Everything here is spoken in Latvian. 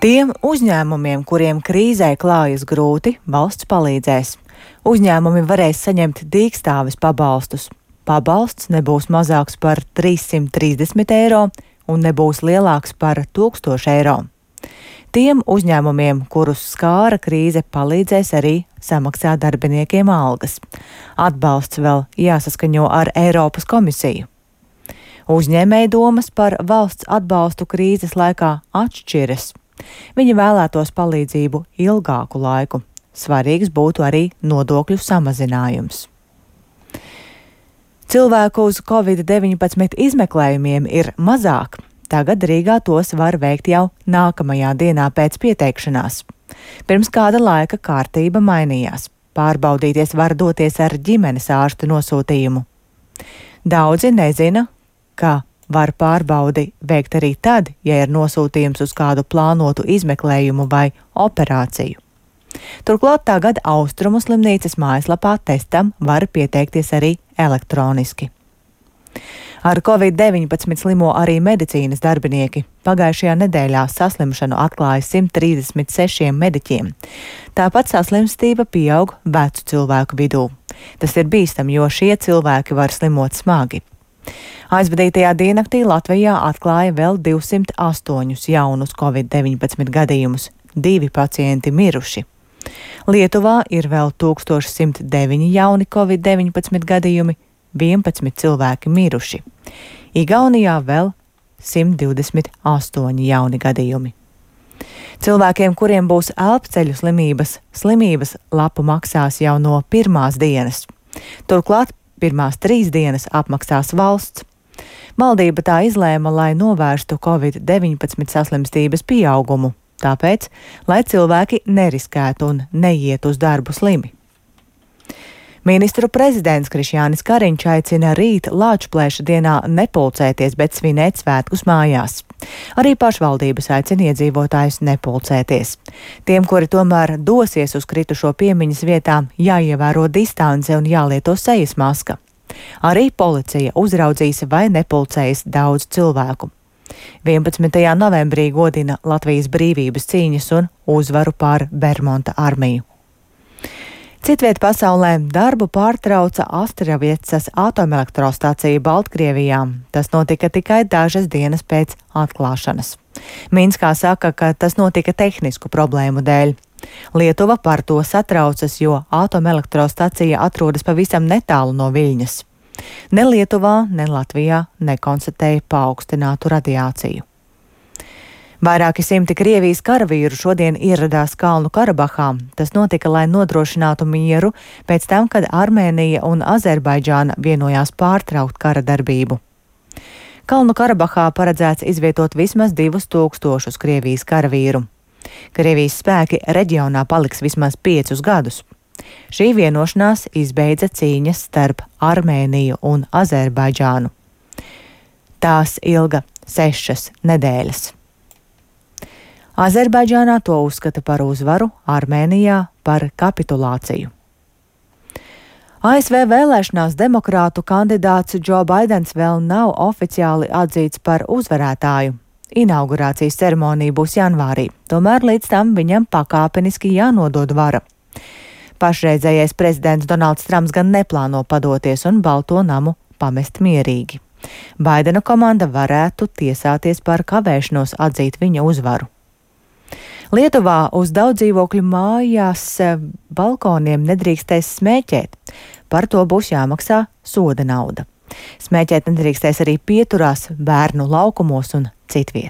Tiem uzņēmumiem, kuriem krīzē klājas grūti, valsts palīdzēs. Uzņēmumi varēs saņemt dīkstāves pabalstus. Pabalsts nebūs mazāks par 330 eiro un nebūs lielāks par 1000 eiro. Tiem uzņēmumiem, kurus skāra krīze, palīdzēs arī samaksāt darbiniekiem algas. Atbalsts vēl jāsaskaņo ar Eiropas komisiju. Uzņēmēju domas par valsts atbalstu krīzes laikā atšķiras. Viņi vēlētos palīdzību ilgāku laiku. Svarīgs būtu arī nodokļu samazinājums. Cilvēku uz Covid-19 izmeklējumiem ir mazāk. Tagad Rīgā tos var veikt jau nākamajā dienā pēc pieteikšanās. Pirms kāda laika kārtība mainījās. Pārbaudīties var doties ar ģimenes ārsta nosūtījumu. Daudzi nezina, ka var pārbaudi veikt arī tad, ja ir nosūtījums uz kādu plānotu izmeklējumu vai operāciju. Turklāt tagad Austrumu slimnīcas mājaslapā testam var pieteikties arī elektroniski. Ar Covid-19 slimo arī medicīnas darbinieki. Pagājušajā nedēļā saslimšanu atklāja 136 mediķiem. Tāpat saslimstība pieaug vecu cilvēku vidū. Tas ir bīstami, jo šie cilvēki var slimot smagi. Aizvadītajā diennaktī Latvijā atklāja vēl 208 jaunus Covid-19 gadījumus, 2 pacienti miruši. Lietuvā ir vēl 1109 jauni Covid-19 gadījumi, 11 cilvēki miruši. Igaunijā vēl 128 jauni gadījumi. Cilvēkiem, kuriem būs elpceļu slimības lapu maksās jau no pirmās dienas. Turklāt pirmās 3 dienas apmaksās valsts. Valdība tā izlēma, lai novērstu Covid-19 saslimstības pieaugumu, tāpēc, lai cilvēki neriskētu un neiet uz darbu slimi. Ministru prezidents Krišjānis Kariņš aicina rīt Lāčplēša dienā nepulcēties, bet svinēt svētkus mājās. Arī pašvaldības aicina iedzīvotājus nepulcēties. Tiem, kuri tomēr dosies uz kritušo piemiņas vietām, jāievēro distance un jālieto sejas maska. Arī policija uzraudzīs, vai nepulcējas daudz cilvēku. 11. novembrī godina Latvijas brīvības cīņas un uzvaru pār Bermonta armiju. Citviet pasaulē darbu pārtrauca Astraviecas atomelektrostacija Baltkrievijā. Tas notika tikai dažas dienas pēc atklāšanas. Minskā saka, ka tas notika tehnisku problēmu dēļ. Lietuva par to satraucas, jo atomelektrostacija atrodas pavisam netālu no Viļņas. Ne Lietuvā, ne Latvijā nekonstatēja paaugstinātu radiāciju. Vairāki simti Krievijas karavīru šodien ieradās Kalnu Karabahā. Tas notika, lai nodrošinātu mieru pēc tam, kad Armēnija un Azerbaidžāna vienojās pārtraukt kara darbību. Kalnu Karabahā paredzēts izvietot vismaz 2000 Krievijas karavīru. Krievijas spēki reģionā paliks vismaz 5 gadus. Šī vienošanās izbeidza cīņas starp Armēniju un Azerbaidžānu. Tās ilga 6 nedēļas. Azerbaidžānā to uzskata par uzvaru, Armēnijā par kapitulāciju. ASV vēlēšanās demokrātu kandidāts Džo Baidens vēl nav oficiāli atzīts par uzvarētāju. Inaugurācijas ceremonija būs janvārī, tomēr līdz tam viņam pakāpeniski jānodod vara. Pašreizējais prezidents Donalds Trumps gan neplāno padoties un Balto namu pamest mierīgi. Baidena komanda varētu tiesāties par kavēšanos atzīt viņa uzvaru. Lietuvā uz daudz dzīvokļu mājās balkoniem nedrīkstēs smēķēt. Par to būs jāmaksā soda nauda. Smēķēt nedrīkstēs arī pieturās, bērnu laukumos un citviet.